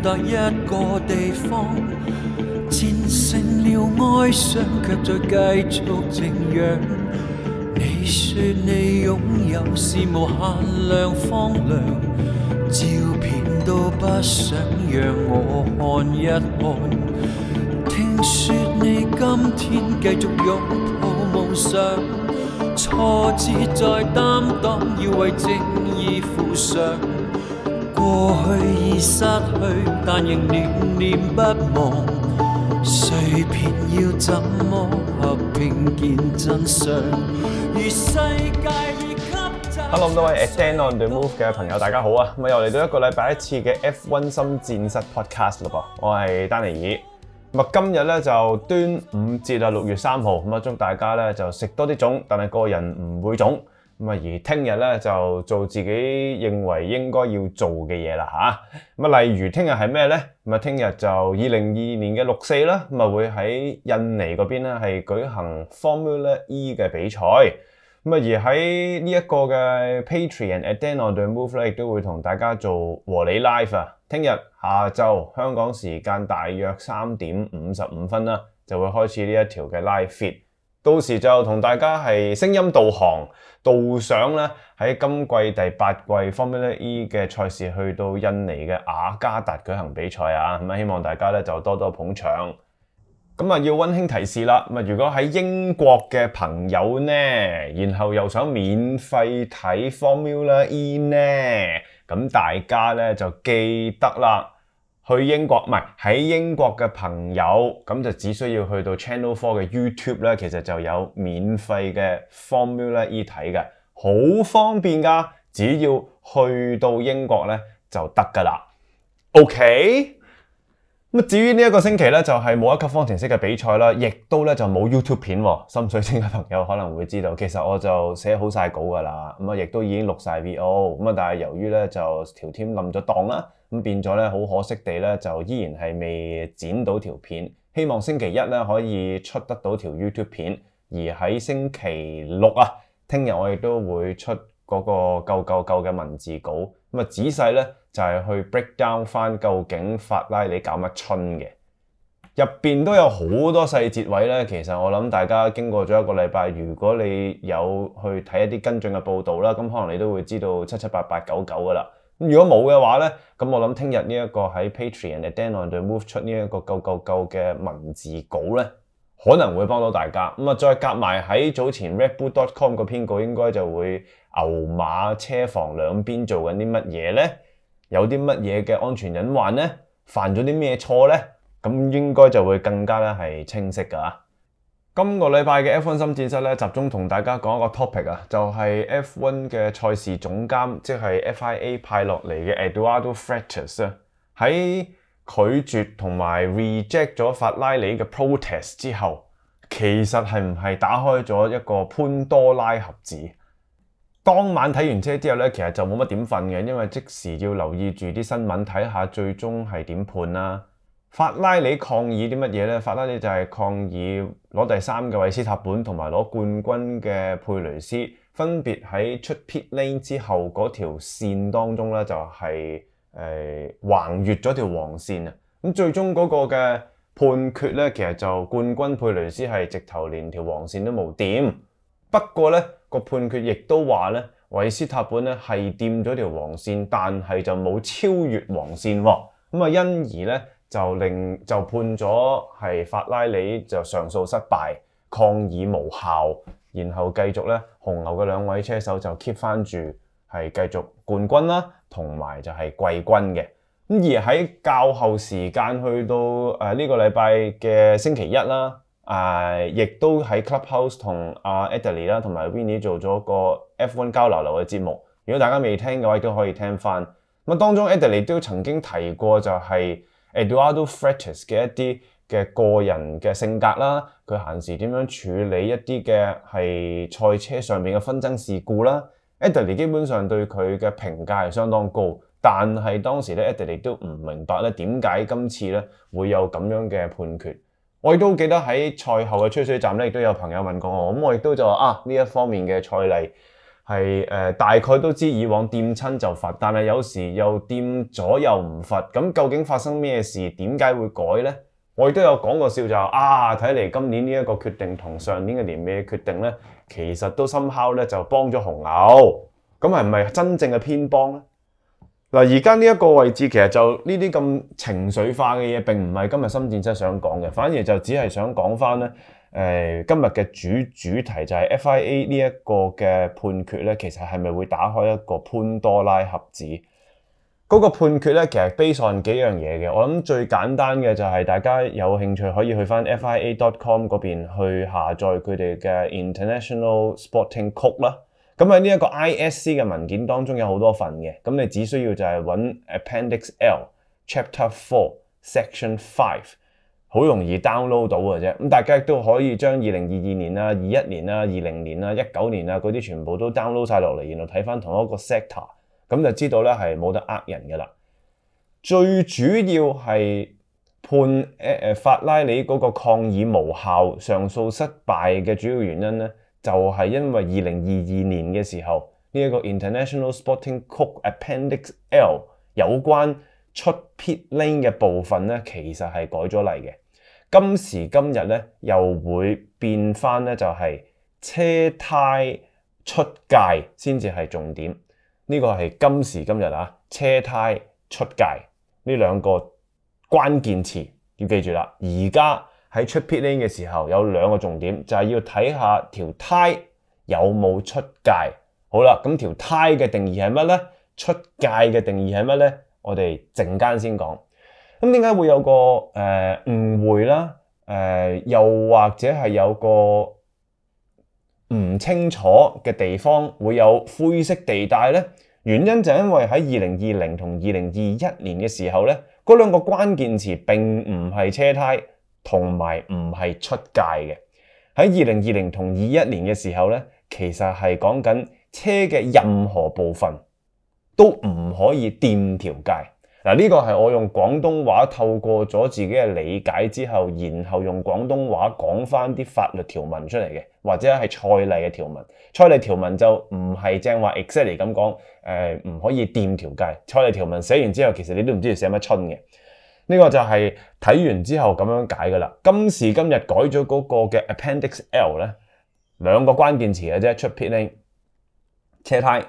達一個地方，戰勝了哀傷，卻再繼續靜養。你說你擁有是無限量荒涼，照片都不想讓我看一看。聽說你今天繼續擁抱夢想，挫折再擔當，要為正義負上。過去已失去，但仍念念不忘。碎片要怎麼合拼見真相？如世界已給責。Hello， 各位 A Dan on the Move 嘅朋友，大家好啊！咁又嚟到一個禮拜一次嘅 F1 心戰室 Podcast 咯噃，我係丹尼爾。咁啊，今日咧就端午節啊，6月3號，咁啊祝大家咧就食多啲粽，但係個人唔會腫。咁啊，而聽日咧就做自己認為應該要做嘅嘢啦嚇。咁啊，例如聽日係咩咧？咁啊，聽日就2022年嘅6/4啦，咁啊會喺印尼嗰邊咧係舉行 Formula E 嘅比賽。咁啊，而喺呢一個嘅 Patreon A Dan on the Move 咧，亦都會同大家做和你 live 啊。聽日下晝香港時間大約3點55分啦，就會開始呢一條嘅 live feed。到時就同大家係聲音導航導上咧喺今季第8季 Formula E 嘅賽事去到印尼嘅雅加達舉行比賽啊。咁啊，希望大家咧就多多捧場。咁啊，要溫馨提示啦。咁啊，如果喺英國嘅朋友呢，然後又想免費睇 Formula E 呢，咁大家咧就記得啦。去英國唔係喺英國嘅朋友，咁就只需要去到 Channel 4嘅 YouTube 咧，其實就有免費嘅 Formula E 睇嘅，好方便噶，只要去到英國咧就得噶啦。OK， 咁至於呢一個星期咧就係冇一級方程式嘅比賽啦，亦都咧就冇 YouTube 片喎。心水清嘅朋友可能會知道，其實我就寫好晒稿噶啦，咁啊亦都已經錄晒 VO， 咁啊但係由於咧就條 team 冧咗檔啦。咁變咗咧，好可惜地咧，就依然係未剪到條片。希望星期一咧可以出得到條 YouTube 片，而喺星期六啊，聽日我亦都會出嗰個夠嘅文字稿。咁啊，仔細咧就係去 break down 翻究竟法拉利搞乜春嘅，入邊都有好多細節位咧。其實我諗大家經過咗一個禮拜，如果你有去睇一啲跟進嘅報導啦，咁可能你都會知道7、7、8、8、9、9噶啦。咁如果冇嘅話咧，咁我諗聽日呢一個喺 Patreon A Dan on the Move 出呢一個夠嘅文字稿咧，可能會幫到大家。咁啊，再夾埋喺早前 Redbull.com 個編稿，應該就會牛馬車房兩邊做緊啲乜嘢咧？有啲乜嘢嘅安全隱患咧？犯咗啲咩錯咧？咁應該就會更加咧係清晰㗎。今個禮拜嘅 F1 心戰室咧，集中同大家講一個 topic 啊，就係 F1 嘅賽事總監，即係 FIA 派落嚟嘅 Eduardo Freitas 啊，喺拒絕同埋 reject 咗法拉利嘅 protest 之後，其實係唔係打開咗一個潘多拉盒子？當晚睇完車之後咧，其實就冇乜點瞓嘅，因為即時要留意住啲新聞，睇下最終係點判啦。法拉利抗議啲乜嘢咧？法拉利就係抗議攞第3嘅維斯塔本同埋攞冠軍嘅佩雷斯，分別喺出 pit lane 之後嗰條線當中咧，就係橫越咗條黃線啊！咁最終嗰個嘅判決咧，其實就冠軍佩雷斯係直頭連條黃線都冇掂。不過咧個判決亦都話咧，維斯塔本咧係掂咗條黃線，但係就冇超越黃線喎。咁啊，因而咧就判咗係法拉利就上訴失敗，抗議無效，然後繼續咧紅牛嘅2位車手就 keep 翻住係繼續冠軍啦，同埋就係季軍嘅。咁而喺較後時間去到呢個禮拜嘅星期一啦，亦都喺 Clubhouse 同Adderley 啦同埋 Winnie 做咗個 F1 交流流嘅節目。如果大家未聽嘅話，亦都可以聽翻。咁當中 Adderley 都曾經提過就係Eduardo Freitas 嘅一啲嘅個人嘅性格啦，佢閒時點樣處理一啲嘅係賽車上面嘅紛爭事故啦。Adderley 基本上對佢嘅評價係相當高，但係當時咧 Adderley 都唔明白咧點解今次咧會有咁樣嘅判決。我亦都記得喺賽後嘅吹水站咧，亦都有朋友問過我，咁我亦都就話呢一方面嘅賽例係大概都知以往掂親就罰，但係有時又掂咗又唔罰，咁究竟發生咩事？點解會改呢？我亦都有講過笑就睇嚟今年呢一個決定同上年嘅年尾嘅決定咧，其實都somehow咧就幫咗紅牛，咁係唔係真正嘅偏幫咧？嗱，而家呢一個位置其實就呢啲咁情緒化嘅嘢並唔係今日深戰室想講嘅，反而就只係想講翻咧今日嘅主題就係 FIA 呢一個嘅判決咧，其實係咪會打開一個潘多拉盒子？嗰個判決咧，其實 base on 幾樣嘢嘅。我諗最簡單嘅就係大家有興趣可以去翻 FIA.com 嗰邊去下載佢哋嘅 International Sporting Code 啦。咁喺呢一個 ISC 嘅文件當中有好多份嘅，咁你只需要就係揾 Appendix L Chapter 4 Section 5，好容易 download 到嘅啫。咁大家亦都可以將2022年啊、21年啊、20年啊、19年啊嗰啲全部都 download 晒落嚟，然後睇翻同一個 sector。咁就知道咧係冇得呃人嘅啦。最主要係判法拉利嗰個抗議無效、上訴失敗嘅主要原因咧，就係因為2022年嘅時候呢一個 International Sporting Code Appendix L 有關出 pit lane 嘅部分咧，其實係改咗例嘅。今時今日咧又會變翻咧，就係車胎出界先至係重點。呢個係今時今日車胎出界呢兩個關鍵詞要記住啦。而家喺出 pit lane 嘅時候有兩個重點，就係要睇下條胎有冇出界。好啦，咁條胎嘅定義係乜呢？出界嘅定義係乜呢？我哋陣間先講。咁點解會有個誤會啦？又或者係有個唔清楚嘅地方，會有灰色地帶呢？原因就係因為喺2020同2021年嘅時候呢，嗰兩個關鍵詞並唔係車胎同埋唔係出界嘅。喺2020同21年嘅時候呢，其實係講緊車嘅任何部分都唔可以掂條界。嗱，呢個係我用廣東話透過咗自己嘅理解之後，然後用廣東話講翻啲法律條文出嚟嘅，或者係賽例嘅條文。賽例條文就唔係正話 exactly 咁講，唔可以掂條界。賽例條文寫完之後，其實你都唔知要寫乜春嘅。呢個就係睇完之後咁樣解噶啦。今時今日改咗嗰個嘅 Appendix L 咧，兩個關鍵詞嘅啫，出 pit lane，車胎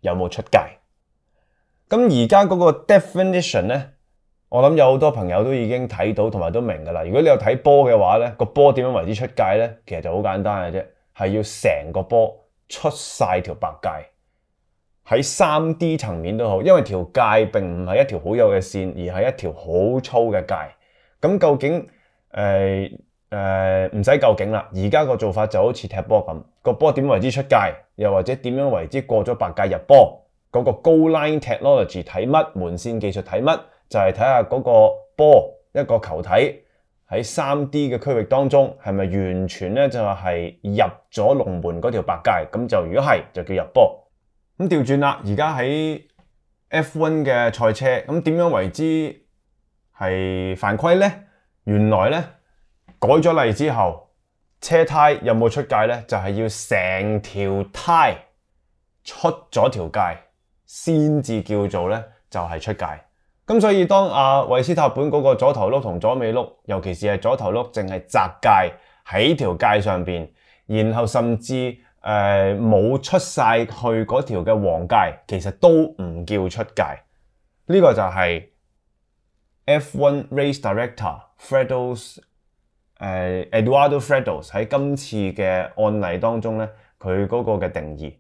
有冇出界。咁而家嗰個 definition 咧，我諗有好多朋友都已經睇到同埋都明噶啦。如果你有睇波嘅話咧，個波點樣為之出界咧？其實就好簡單嘅啫，係要成個波出晒條白界。喺 3D 層面都好，因為條界並唔係一條好幼嘅線，而係一條好粗嘅界。咁究竟唔使究竟啦，而家個做法就好似踢波咁，個波點為之出界，又或者點樣為之過咗白界入波？嗰個 goal line technology 睇乜？門線技術睇乜？就係睇下嗰個波一個球體喺 3D 嘅區域當中係咪完全咧就係入咗龍門嗰條白界？咁就如果係就叫入波。咁調轉啦，而家喺 F1 嘅賽車，咁點樣為之係犯規呢？原來咧改咗例之後，車胎有冇出界呢？就係要成條胎出咗條界先至叫做咧就係出界。咁所以當維斯塔本嗰個左頭轆同左尾轆，尤其是係左頭轆淨係窄界喺條界上邊，然後甚至冇出晒去嗰條嘅黃界，其實都唔叫出界。呢個就係 F1 Race Director Eduardo Frados 喺今次嘅案例當中咧，佢嗰個嘅定義。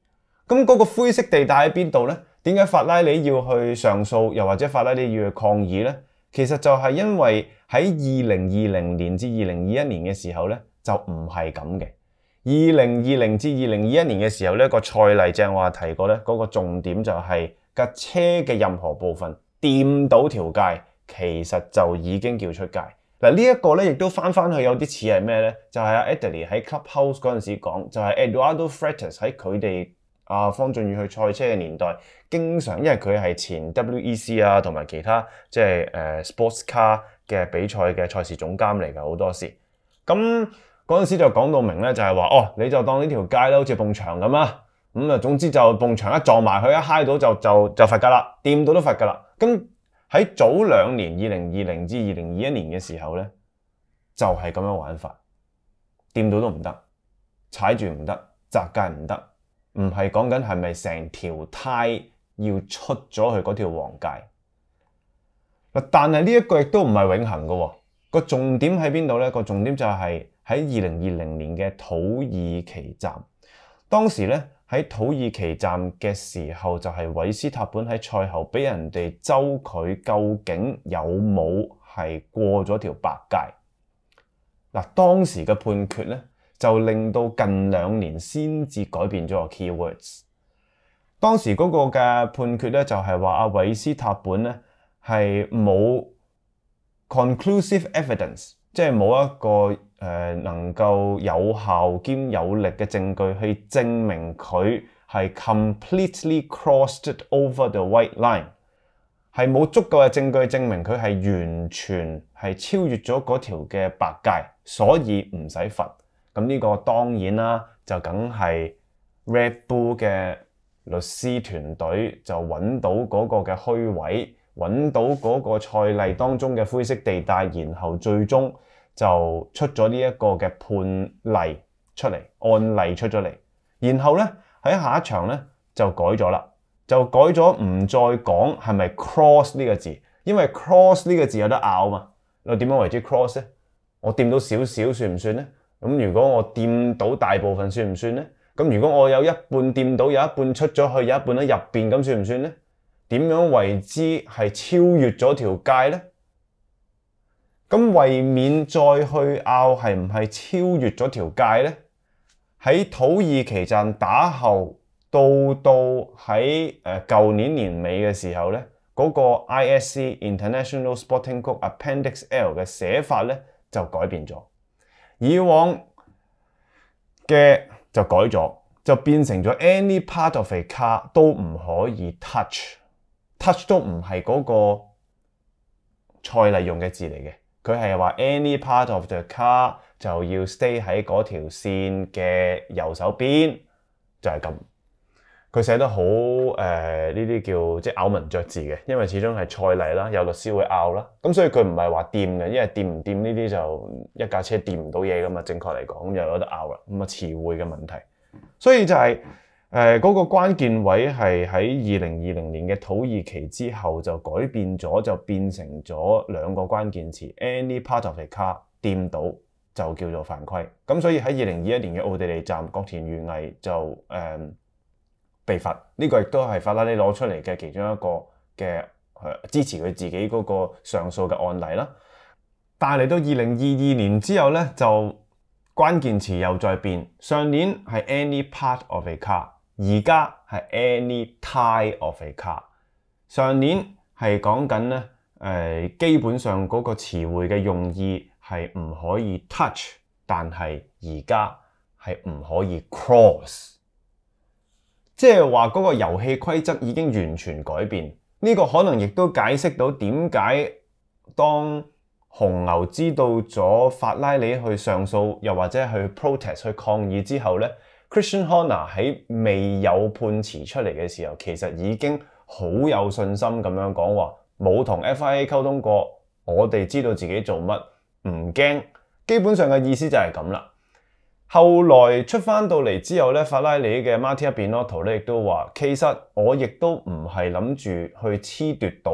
咁嗰個灰色地帶喺邊度咧？點解法拉利要去上訴，又或者法拉利要去抗議咧？其實就係因為喺2020年至2021年嘅時候咧，就唔係咁嘅。2020至2021年嘅時候咧，個賽例正話提過咧，嗰個重點就係架車嘅任何部分掂到條界，其實就已經叫出界。嗱，呢一個咧亦都翻去有啲似係咩咧？就係阿 Adley 喺 Clubhouse 嗰陣時講，就係 Eduardo Freitas 喺佢哋方俊宇去賽車嘅年代，經常因為佢係前 WEC 同埋其他即係sports car 嘅比賽嘅賽事總監嚟㗎，好多時。咁嗰陣時就講到明咧，就係話你就當呢條街咧好似埲牆咁啊，總之就埲牆一撞埋去，一揩到就罰㗎啦，掂到都罰㗎啦。咁喺早2年2020至2021年嘅時候咧，就係咁樣玩法，掂到都唔得，踩住唔得，砸界唔得，唔係講緊係咪成條胎要出咗去嗰條黃界。但係呢一個亦都唔係永恆嘅喎，個重點喺邊度咧？個重點就係喺2020年嘅土耳其站，當時咧喺土耳其站嘅時候，就係韋斯塔本喺賽後俾人哋揪佢究竟有冇係過咗條白界。嗱，當時嘅判決咧就令到近2年先至改變咗個 keywords。當時嗰個嘅判決咧就係話阿韋斯塔本咧係冇 conclusive evidence， 即係冇一個能夠有效兼有力嘅證據去證明佢係 completely crossed over the white line， 係冇足夠嘅證據證明佢係完全係超越咗嗰條嘅白界，所以唔使罰。咁呢個當然啦，就梗係 Red Bull 嘅律師團隊就揾到嗰個嘅虛位，揾到嗰個賽例當中嘅灰色地帶，然後最終就出咗呢一個嘅判例出嚟，案例出咗嚟，然後咧喺下一場咧就改咗啦，就改咗唔再講係咪 cross 呢個字，因為 cross 呢個字有得拗嘛。你點樣為之 cross 咧？我掂到少少算唔算咧？咁如果我掂到大部分算唔算咧？咁如果我有一半掂到，有一半出咗去，有一半喺入邊，咁算唔算咧？點樣為之係超越咗條界咧？咁為免再去拗係唔係超越咗條界咧？喺土耳其站打後到喺舊年年尾嘅時候咧，嗰個 ISC International Sporting Code Appendix L 嘅寫法咧就改變咗，以往嘅就改咗，就變成咗 any part of a car 都唔可以 touch 都唔係嗰個賽例用嘅字嚟嘅。佢係話 any part of the car 就要 stay 喺嗰條線嘅右手邊，就係咁。佢寫得好呢啲叫即係咬文嚼字嘅，因為始終係賽例啦，有律師會拗啦，咁所以佢唔係話掂嘅，因為掂唔掂呢啲就一架車掂唔到嘢噶嘛，正確嚟講咁又有得拗啦，咁啊詞彙嘅問題，所以就係嗰個關鍵位係喺2020年嘅土耳其之後就改變咗，就變成咗2個關鍵詞 any part of a car 掂到就叫做犯規。咁所以喺2021年嘅奧地利站，角田裕毅就被罰。呢個亦都係法拉利攞出嚟嘅其中一個嘅支持佢自己嗰個上訴嘅案例啦。但係嚟到2022年之後咧，就關鍵詞又再變，上年係 any part of a car， 而家係 any tie of a car。上年係講緊咧基本上嗰個詞彙嘅用意係唔可以 touch， 但係而家係唔可以 cross， 即係話嗰個遊戲規則已經完全改變。呢個可能亦都解釋到點解當紅牛知道咗法拉利去上訴，又或者去 protest 去抗議之後咧， Christian Horner 喺未有判詞出嚟嘅時候，其實已經好有信心咁樣講話，冇同 FIA 溝通過，我哋知道自己做乜，唔驚。基本上嘅意思就係咁啦。後來出翻到嚟之後咧，法拉利嘅 Mattia Binotto 咧亦都話，其實我亦都唔係諗住去褫奪到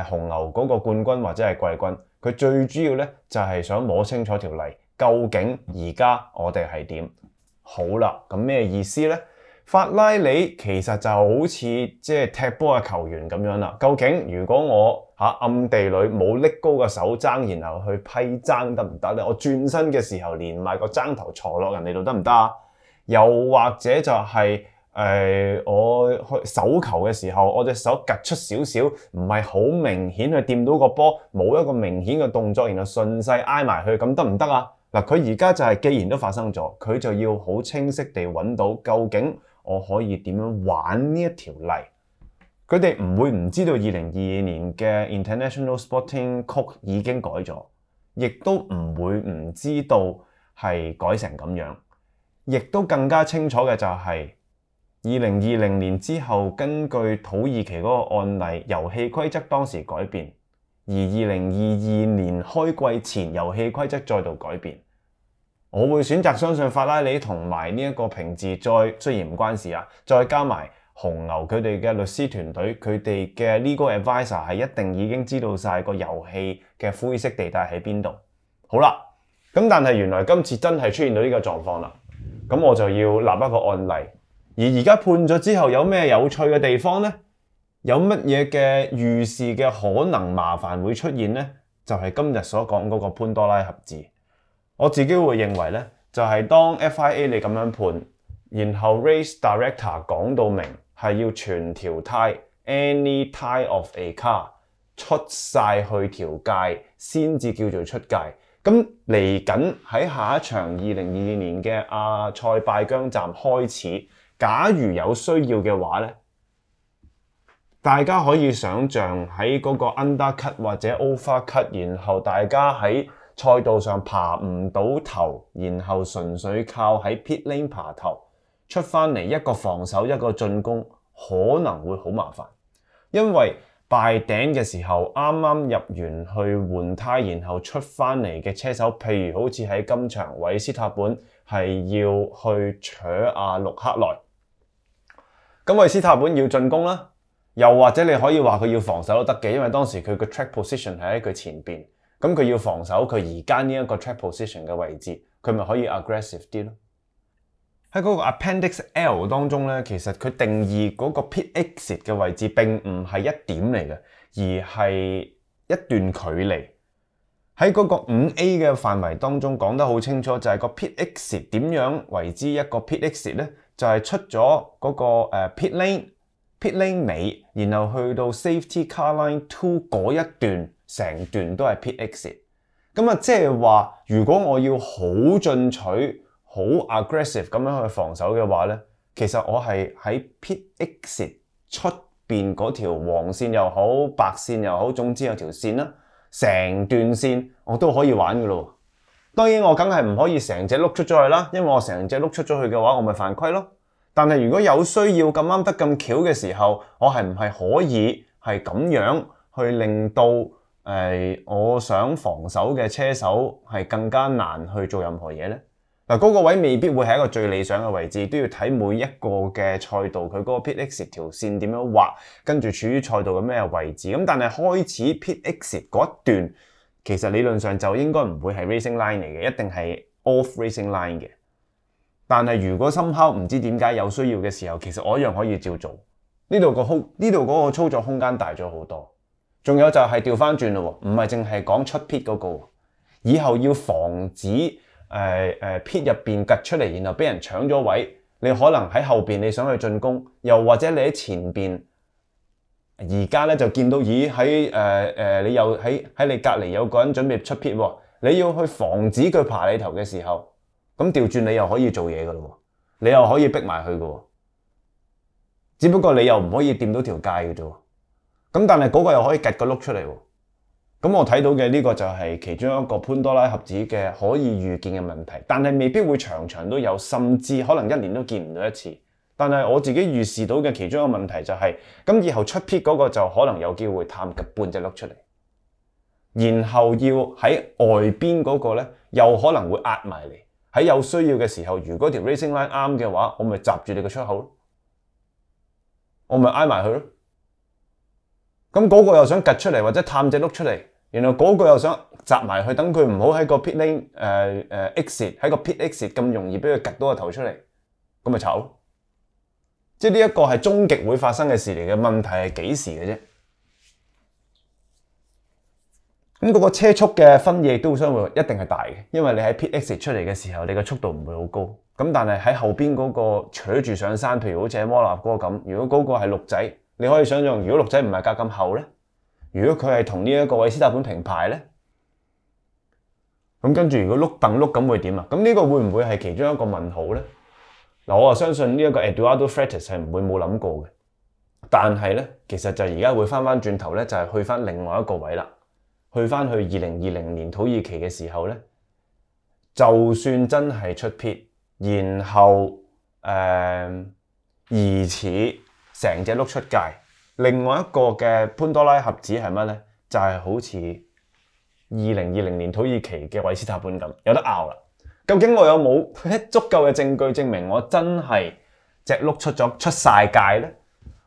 紅牛嗰個冠軍或者係季軍。佢最主要咧就係想摸清楚條例，究竟而家我哋係點？好啦，咁咩意思咧？法拉利其實就好似即係踢波嘅球員咁樣啦。究竟如果我暗地裏冇拎高個手踭，然後去批踭得唔得咧？我轉身嘅時候連埋個踭頭坐落人哋度得唔得啊？又或者就係我去手球嘅時候，我隻手趌出少少，唔係好明顯去掂到個波，冇一個明顯嘅動作，然後順勢挨埋去，咁得唔得啊？嗱，佢而家就係既然都發生咗，佢就要好清晰地揾到究竟我可以點樣玩呢一條例。佢哋唔會唔知道2022年嘅 International Sporting Code 已經改咗，亦都唔會唔知道係改成咁樣，亦都更加清楚嘅就係2020年之後，根據土耳其嗰個案例，遊戲規則當時改變，而2022年開季前遊戲規則再度改變。我會選擇相信法拉利同埋呢一個平治，雖然唔關事啊，再加埋紅牛佢哋嘅律師團隊，佢哋嘅 legal advisor 係一定已經知道晒個遊戲嘅灰色地帶喺邊度。好啦，咁但係原來今次真係出現到呢個狀況啦，咁我就要立一個案例。而家判咗之後有咩有趣嘅地方呢？有乜嘢嘅預示嘅可能麻煩會出現呢？就係今日所講嗰個潘多拉盒子。我自己會認為呢，就係當 FIA 你咁樣判，然後 Race Director 講到明係要全條胎 any type of a car 出晒去條界先至叫做出界。咁嚟緊喺下一場2022年嘅阿塞拜疆站開始，假如有需要嘅話呢，大家可以想像喺嗰個 undercut 或者 overcut， 然後大家喺賽道上爬唔到頭，然後純粹靠喺 pit lane 爬頭出翻嚟，一個防守一個進攻，可能會好麻煩。因為拜頂嘅時候啱啱入完去換胎，然後出翻嚟嘅車手，譬如好似喺今場韋斯塔本係要去搶阿陸克萊，咁韋斯塔本要進攻啦，又或者你可以話佢要防守都得嘅，因為當時佢個 track position 係喺佢前邊，咁佢要防守佢而家呢一個 track position 嘅位置，佢咪可以 aggressive 啲咯。喺嗰個 Appendix L 當中咧，其實佢定義嗰個 pit exit 嘅位置並唔係一點嚟嘅，而係一段距離。喺嗰個 5A 嘅範圍當中講得好清楚，就係個 pit exit 點樣為之一個 pit exit 咧？就係出咗嗰個pit lane 尾，然後去到 Safety Car Line 2嗰一段，成段都係 pit exit。咁啊，即係話，如果我要好進取、好 aggressive 咁樣去防守嘅話咧，其實我係喺 pit exit 出邊嗰條黃線又好、白線又好，總之有條線啦，成段線我都可以玩噶咯。當然我梗係唔可以成隻碌出咗去啦，因為我成隻碌出咗去嘅話，我咪犯規咯。但係如果有需要咁啱得咁巧嘅時候，我係唔係可以係咁樣去令到我想防守嘅車手係更加難去做任何嘢呢？嗱，嗰個位未必會係一個最理想嘅位置，都要睇每一個嘅賽道佢嗰個 pit exit 條線點樣畫，跟住處於賽道嘅咩位置。咁但係開始 pit exit 嗰一段，其實理論上就應該唔會係 racing line 嚟嘅，一定係 off racing line 嘅。但係如果somehow唔知點解有需要嘅時候，其實我一樣可以照做。呢度嗰個操作空間大咗好多。仲有就係調翻轉咯，唔係淨係講出 pit 嗰個，以後要防止pit 入邊趌出嚟，然後俾人搶咗位。你可能喺後邊你想去進攻，又或者你喺前邊，而家咧就見到咦喺你又喺你隔離有個人準備出 pit 喎，你要去防止佢爬你頭嘅時候，咁調轉你又可以做嘢噶咯，你又可以逼埋去噶，只不過你又唔可以掂到條界嘅啫。咁但係嗰個又可以趌個碌出嚟喎。咁我睇到嘅呢個就係其中一個潘多拉盒子嘅可以預見嘅問題，但係未必會場場都有，甚至可能一年都見唔到一次。但係我自己預示到嘅其中一個問題就係，咁以後出 pit 嗰個就可能有機會探及半隻碌出嚟，然後要喺外邊嗰個咧又可能會壓埋嚟。喺有需要嘅時候，如果條 racing line 啱嘅話，我咪閘住你個出口咯，我咪挨埋佢咯。咁嗰個又想趌出嚟或者探隻碌出嚟，然後嗰個又想閘埋去，等佢唔好喺個 pit lane exit 喺個 pit exit 咁容易俾佢趌到個頭出嚟，咁咪炒咯。即係呢一個係終極會發生嘅事嚟嘅，問題係幾時嘅啫。咁嗰個車速嘅分野都相會一定係大嘅，因為你喺 pit exit 出嚟嘅時候，你嘅速度唔會好高。咁但係喺後邊嗰個扯住上山，譬如好似喺摩納哥咁，如果嗰個係鹿仔，你可以想象，如果鹿仔唔係隔咁厚咧，如果佢係同呢一個韋斯塔本平排咧，咁跟住如果碌蹬碌咁會點啊？咁呢個會唔會係其中一個問號咧？嗱，我相信呢一個 Eduardo Freitas 係唔會冇諗過嘅，但係咧，其實就而家會翻轉頭咧，就係去翻另外一個位啦。去翻去2020年土耳其嘅時候咧，就算真係出 pit，然後疑似成隻碌出街。另外一個嘅潘多拉盒子係乜呢？就係好似2020年土耳其嘅韋斯塔本咁，有得拗啦。究竟我有冇足夠嘅證據證明我真係隻碌出晒界呢？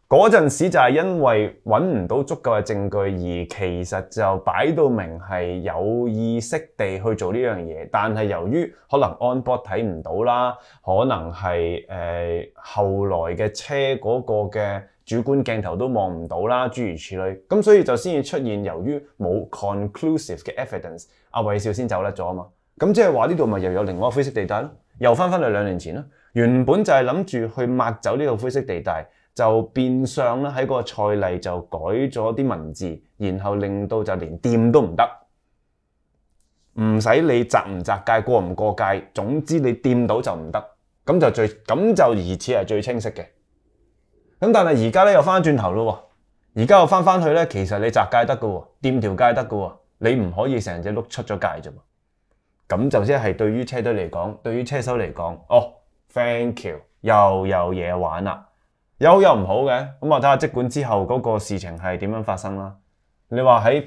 嗰陣時就係因為揾唔到足夠嘅證據，而其實就擺到明係有意識地去做呢樣嘢，但係由於可能 on board 睇唔到啦，可能係後來嘅車嗰個嘅主觀鏡頭都望唔到啦，諸如此類，咁所以就先至出現由於冇 conclusive 嘅 evidence， 阿韋少先走甩咗啊嘛，咁即係話呢度咪又有另外一個灰色地帶咯，又翻去2年前咯，原本就係諗住去抹走呢個灰色地帶。就變相咧喺個賽例就改咗啲文字，然後令到就連掂都唔得，唔使你擲唔擲界過唔過界，總之你掂到就唔得，咁就疑似係最清晰嘅。咁但係而家咧又翻轉頭咯，而家又翻去咧，其實你擲界得嘅喎，掂條界得嘅喎，你唔可以成隻碌出咗界啫。咁就即係對於車隊嚟講，對於車手嚟講，thank you， 又有嘢玩啦。有好有唔好嘅，咁我睇下即管之後嗰個事情係點樣發生啦。你話喺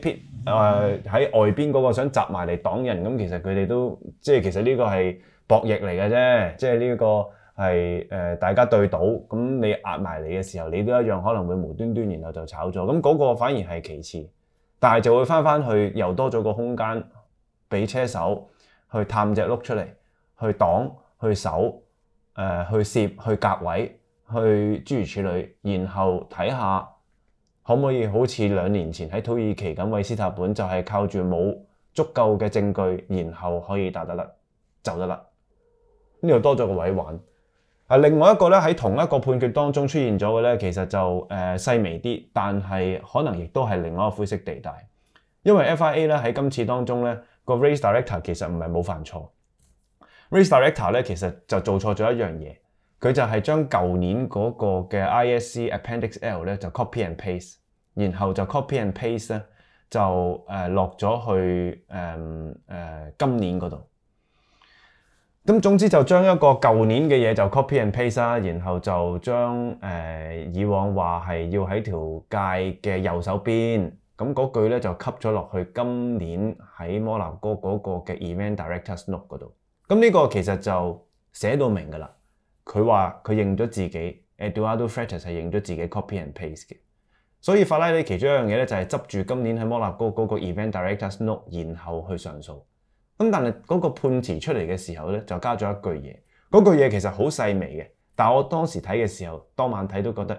外邊嗰個想集埋嚟擋人，咁其實佢哋都其實呢個係博弈嚟嘅啫，即係呢個係大家對賭，咁你壓埋嚟嘅時候，你都一樣可能會無端端然後就炒咗，咁嗰個反而係其次，但係就會翻去又多咗個空間俾車手去探隻碌出嚟，去擋、去守、去攝、去隔位。去諸如此類，然後睇下可唔可以好似2年前喺土耳其咁，韋斯塔本就係靠住冇足夠嘅證據，然後可以打得甩，走得甩。呢度多咗個位玩。另外一個咧喺同一個判決當中出現咗嘅咧，其實就細微啲，但係可能亦都係另外一個灰色地帶。因為 FIA 咧喺今次當中咧個 race director 其實唔係冇犯錯 ，race director 咧其實就做錯咗一樣嘢。佢就係將舊年嗰個嘅 ISC Appendix L 咧就 copy and paste， 然後就 copy and paste 咧就落咗去今年嗰度。咁總之就將一個舊年嘅嘢就 copy and paste 啦，然後就將以往話係要喺條界嘅右手邊，咁嗰句咧就吸咗落去今年喺摩納哥嗰個嘅 Event Director's Note 嗰度。咁呢個其實就寫到明㗎啦。佢話佢認咗自己 Eduardo Freitas 係認咗自己 copy and paste 嘅，所以法拉利其中一樣嘢咧就係執住今年喺摩納哥嗰個 Event Director's Note， 然後去上訴。咁但係嗰個判詞出嚟嘅時候咧就加咗一句嘢，嗰句嘢其實好細微嘅，但係我當時睇嘅時候，當晚睇都覺得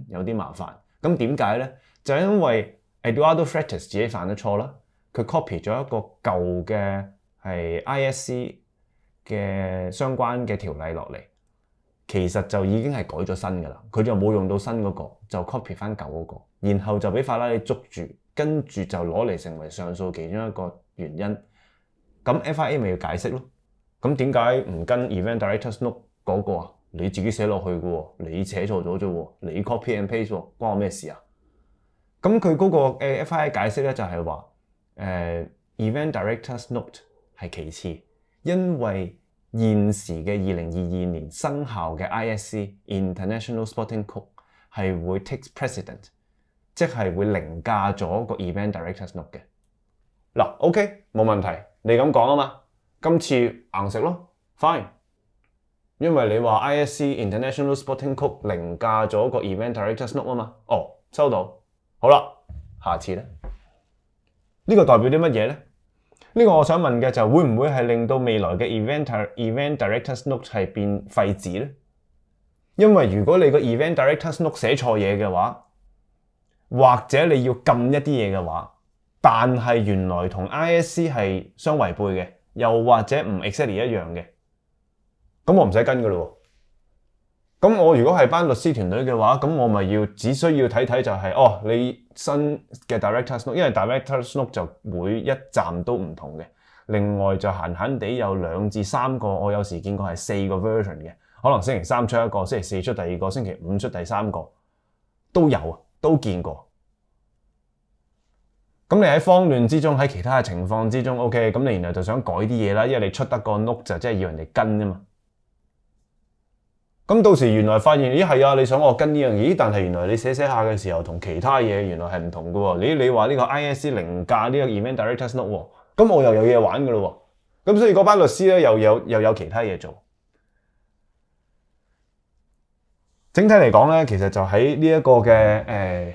有啲麻煩。咁點解咧？就係因為 Eduardo Freitas 自己犯咗錯啦，佢 copy 咗一個舊嘅係 ISC 嘅相關嘅條例落嚟。其實就已經係改咗新嘅啦，佢就冇用到新嗰個，就 copy 翻舊嗰個，然後就俾法拉利捉住，跟住就攞嚟成為上訴其中一個原因。咁 FIA 咪要解釋咯？咁點解唔跟 Event Director's Note 嗰個啊？你自己寫落去嘅喎，你寫錯咗啫喎，你 copy and paste 喎，關我咩事啊？咁佢嗰個FIA 解釋咧就係話Event Director's Note 係其次，因為現時嘅2022年生效嘅 ISC International Sporting Code 係會 take precedent， 即係會凌駕咗個 Event Director's Note 嘅。嗱 ，OK 冇問題，你咁講啊嘛，今次硬食咯 ，fine。因為你話 ISC International Sporting Code 凌駕咗個 Event Director's Note 啊嘛，收到，好啦，下次咧，呢個代表啲乜嘢咧？呢個我想問嘅就會唔會係令到未來嘅 Event Director's Note 係變廢紙咧？因為如果你個 Event Director's Note 寫錯嘢嘅話，或者你要禁一啲嘢嘅話，但係原來同 ISC 係相違背嘅，又或者唔 exactly 一樣嘅，咁我唔使跟㗎咯。咁我如果係班律師團隊嘅話，咁我咪只需要睇睇就係你新嘅 Director's Note， 因為 Director's Note 就每一站都唔同嘅。另外就閒地有2至3個，我有時見過係4個 version 嘅，可能星期3出一個，星期4出第二個，星期5出第3個，都有啊，都見過。咁你喺慌亂之中，喺其他嘅情況之中 ，OK， 咁你然後就想改啲嘢啦，因為你出得個 note 就即係要人哋跟啫嘛。咁到時原來發現，咦係啊，你想我跟呢樣嘢，但係原來你寫下嘅時候同其他嘢原來係唔同嘅喎。你話呢個 ISC 凌駕呢個 Event Director's Note 喎，咁我又有嘢玩嘅咯喎。咁所以嗰班律師咧又有其他嘢做。整體嚟講咧，其實就喺呢一個嘅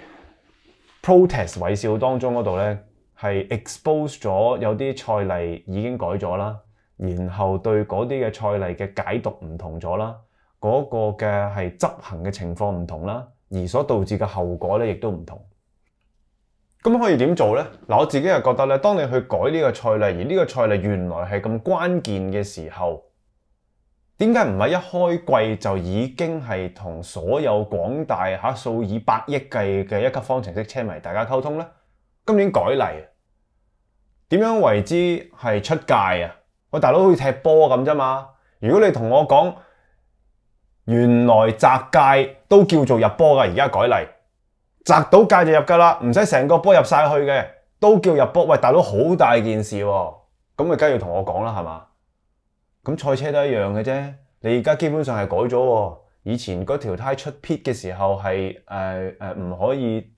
protest 韋笑當中嗰度咧，係 expose 咗有啲賽例已經改咗啦，然後對嗰啲嘅賽例嘅解讀唔同咗啦。嗰個嘅係執行嘅情況唔同啦，而所導致嘅後果咧亦都唔同。咁可以點做咧？嗱，我自己係覺得咧，當你去改呢個賽例，而呢個賽例原來係咁關鍵嘅時候，點解唔係一開季就已經係同所有廣大數以百億計嘅一級方程式車迷大家溝通咧？今年改例，點樣為之係出界啊？喂，大佬好似踢波咁啫嘛！如果你同我講，原來擲界都叫做入波㗎，而家改例，擲到界就入㗎啦，唔使成個波入晒去嘅，都叫入波。喂，大佬好大件事喎，咁咪梗係要同我講啦，係嘛？咁賽車都一樣嘅啫，你而家基本上係改咗喎。以前嗰條胎出 pit 嘅時候係唔可以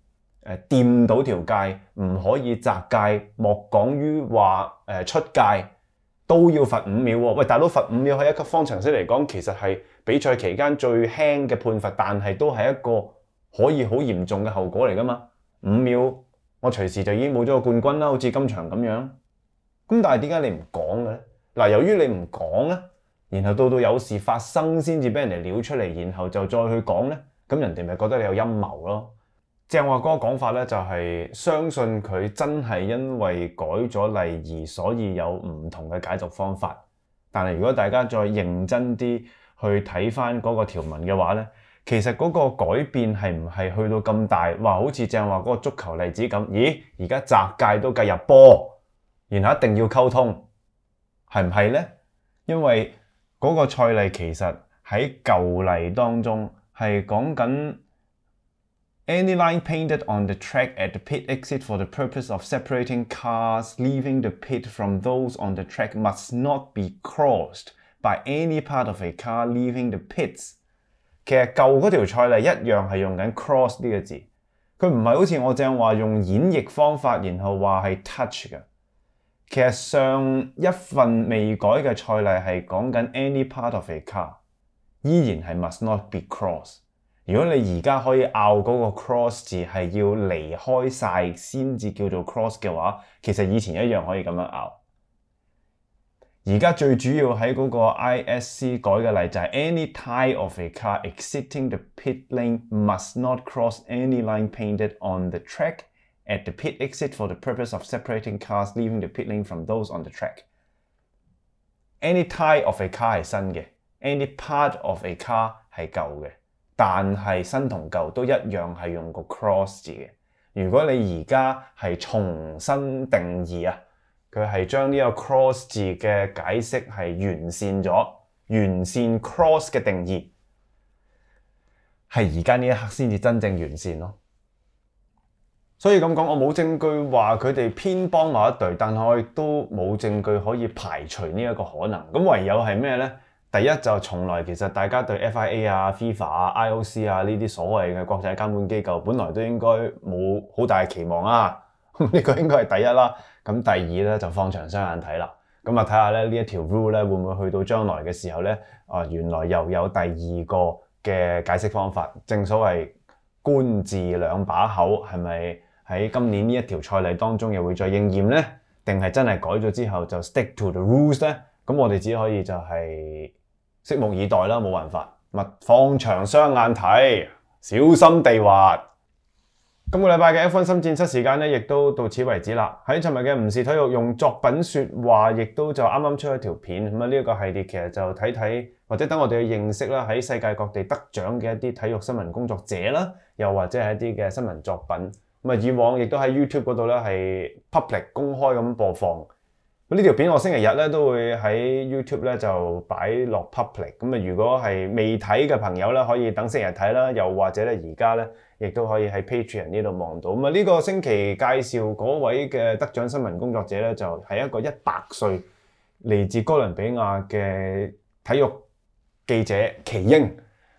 掂到條界，唔可以擲界，莫講於話出界都要罰5秒喎。喂，大佬罰5秒喺一級方程式嚟講，其實係比賽期間最輕嘅判罰，但係都係一個可以好嚴重嘅後果嚟㗎嘛。5秒我隨時就已經冇咗個冠軍啦，好似今場咁樣。咁但係點解你唔講嘅咧？嗱，由於你唔講咧，然後到有事發生先至俾人哋撩出嚟，然後就再去講咧，咁人哋咪覺得你有陰謀咯。正話嗰個講法咧，就係相信佢真係因為改咗例而所以有唔同嘅解讀方法。但係如果大家再認真啲去睇翻嗰個條文嘅話咧，其實嗰個改變係唔係去到咁大？話好似正話嗰個足球例子咁，咦？而家擲界都計入波，然後一定要溝通，係唔係咧？因為嗰個賽例其實喺舊例當中係講緊 Any line painted on the track at the pit exit for the purpose of separating cars leaving the pit from those on the track must not be crossed by any part of a car leaving the pits。其實舊嗰條賽例一樣係用緊 cross 呢個字，佢唔係好似我正話用演繹方法，然後話係 touch 嘅。其實上一份未改嘅賽例係講緊 any part of a car， 依然係 must not be crossed。如果你而家可以拗嗰個 cross 字係要離開晒先至叫做 cross 嘅話，其實以前一樣可以咁樣拗。而家最主要喺嗰個 ISC 改嘅例就係 any tyre of a car exiting the pit lane must not cross any line painted on the track at the pit exit for the purpose of separating cars leaving the pit lane from those on the track。 Any tyre of a car 係新嘅， any part of a car 係舊嘅，但係新同舊都一樣係用個 cross 字嘅。如果你而家係重新定義啊，佢係將呢個 cross 字嘅解釋係完善咗，完善 cross 嘅定義，係而家呢一刻先至真正完善咯。所以咁講，我冇證據話佢哋偏幫某一隊，但係我亦都冇證據可以排除呢一個可能。咁唯有係咩呢？第一就從來其實大家對 FIA 啊、FIFA 啊、IOC 啊呢啲所謂嘅國際監管機構，本來都應該冇好大嘅期望啊。呢個應該係第一啦。咁第二咧就放長雙眼睇啦。咁啊睇下咧呢一條 rule 咧會唔會去到將來嘅時候咧原來又有第二個嘅解釋方法。正所謂官字兩把口，係咪喺今年呢一條賽例當中又會再應驗咧？定係真係改咗之後就 stick to the rules 咧？咁我哋只可以就係拭目以待啦，冇辦法，放長雙眼睇，小心地滑。今個禮拜嘅 F1 深戰室時間咧，亦都到此為止啦。喺尋日嘅唔是體育用作品說話，亦都就啱啱出咗條片。咁啊呢一個系列其實就睇睇，或者等我哋去認識啦，喺世界各地得獎嘅一啲體育新聞工作者啦，又或者係一啲嘅新聞作品。咁啊以往亦都喺 YouTube 嗰度咧係 public 公開咁播放。呢條片我星期日咧都會喺 YouTube 咧就擺落 public。咁啊如果係未睇嘅朋友咧，可以等星期日睇啦，又或者咧而家咧亦都可以喺 Patreon 呢度望到。咁啊呢個星期介紹嗰位嘅得獎新聞工作者咧，就係一個100歲嚟自哥倫比亞嘅體育記者奇英。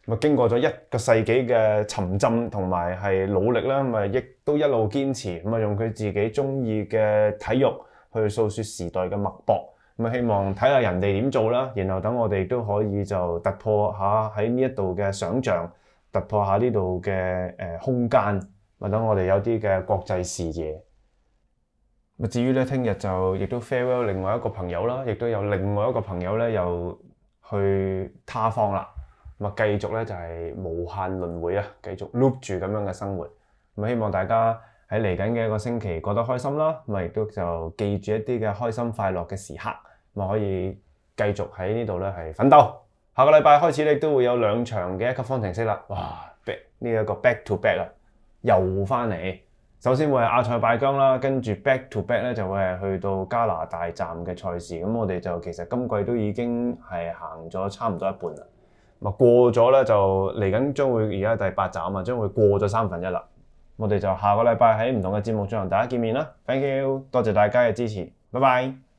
咁經過咗1個世紀嘅沉浸同埋係努力啦，咁亦都一路堅持，咁用佢自己中意嘅體育去訴説時代嘅脈搏。咁希望睇下人哋點做啦，然後等我哋都可以就突破下喺呢一度嘅想像，突破下呢度嘅空間，或等我哋有啲嘅國際視野。至於咧，聽日就亦都 farewell 另外一個朋友啦，亦都有另外一個朋友咧又去他方啦。繼續咧就係無限輪迴啊，繼續 loop 住咁樣嘅生活。希望大家喺嚟緊嘅一個星期過得開心啦，亦都就記住一啲嘅開心快樂嘅時刻，可以繼續喺呢度咧係奮鬥。下個禮拜開始咧都會有2場嘅1級方程式啦。哇！呢一個 back to back 啦，又翻嚟。首先會係阿塞拜疆啦，跟住 back to back 咧就會係去到加拿大站嘅賽事。咁我哋就其實今季都已經係行咗差唔多一半啦。過咗咧就嚟緊將會而家第8站啊，將會過咗1/3啦。我哋就下個禮拜喺唔同嘅節目再同大家見面啦。Thank you，多謝大家嘅支持，拜拜。